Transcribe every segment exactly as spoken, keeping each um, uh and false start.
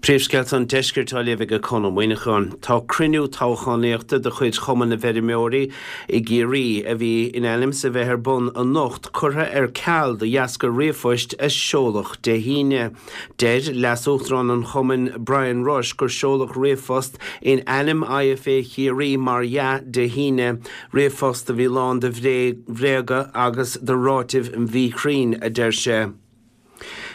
Príomhscéalta an Deiscirt á léamh ag Conn Ó Muíneacháin. Tá cruinniú toghchánaíochta de chuid Chumann na bhFeirmeoirí i gCiarraí a bhí in ainm is a bheith ar bun anocht curtha ar ceal de dheasca ríomhphoist a seoladh Dé hAoine. Deir Leas-Uachtarán an Chumainn Brian Rush gur seoladh ríomhphost in ainm IFA Chiarraí mar dhea Dé hAoine, ríomhphost a bhí lán de bhréaga agus de ráitis mhíchruinn, a deir sé.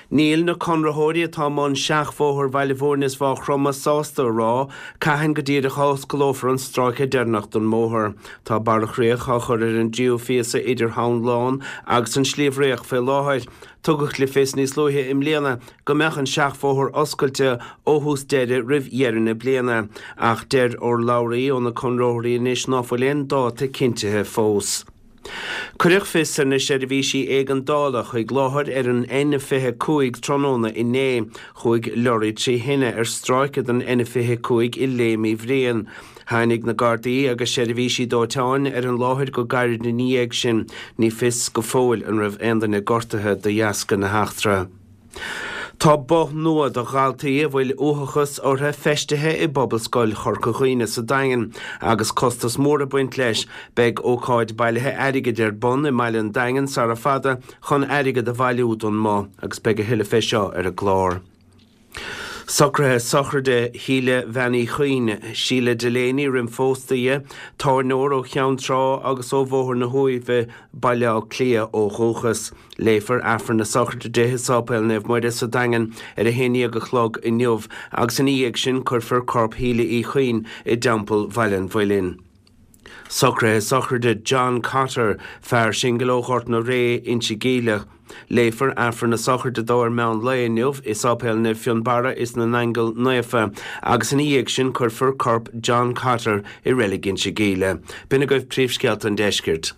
Níl na conraitheoirí atá i mbun seachbhóthar Bhaile Bhúirne is Mhaigh Chromtha sásta a rá cathain go díreach a osclófar an stráice deireanach den mbóthar. Tá barra chríoch á chur ar an dtríú phíosa idir Thamhan Lán agus an Sliabh Riach fé láthair. Tugadh le fios níos luaithe i mbliana go mbeadh an seachbhóthar oscailte ó thús deireadh roimh dheireadh na bliana, ach deir urlabhraí ó na conraitheoirí anois ná fuil aon dáta cinntithe fós. Cuireadh fios ar na seirbhísí éigeandála chuig láthair ar an N fiche cúig tráthnóna inné. Chuaigh leoraí trí thine ar stráice den N fiche cúig i Léim Uí Bhriain. Tháinig na Gardaí agus seirbhísí dóiteáin ar an láthair go gairid ina dhiaidh sin. Ní fios go fóill an raibh aon duine gortaithe de dheasca na heachtra. Tá both nua do dhaltaí a bhfuil uathachas orthu feistithe i bPobalscoil Chorca Dhuibhne sa Daingean agus costas mór ag baint leis. Beidh ócáid bailithe airgid ar bun i mbaile an Daingin sara fada chun airgead a bhailiú don mboth agus beidh a thuilleadh fé seo ar an gclár. Socruithe sochraide Shíle Bhean Uí Chuinn, Síle Delaney roimh phósadh di, tábhairneoir ó Cheann Trá agus ó Bhóthar na hUaimhe, Baile Átha Cliath ó dhúchas. Léifear Aifreann na sochraide di i Sáipéal Naomh Muire sa Daingean ar a haon déag a chlog inniu agus ina dhiaidh sin cuirfear corp Shíle Uí Chuinn i dTeampall Bhaile an Mhuilinn. Socruithe sochraide John Cotter, fear singil ó Ghort na Ré, Inse Geimhleach. Léifear Aifreann na sochraide dó ar meán lae inniu i Sáipéal Naomh Fionnbarra is na nAingeal Naofa agus ina dhiaidh sin cuirfear corp John Cotter i reilig Inse Geimhle. B'in agaibh príomhscéalta an deiscirt.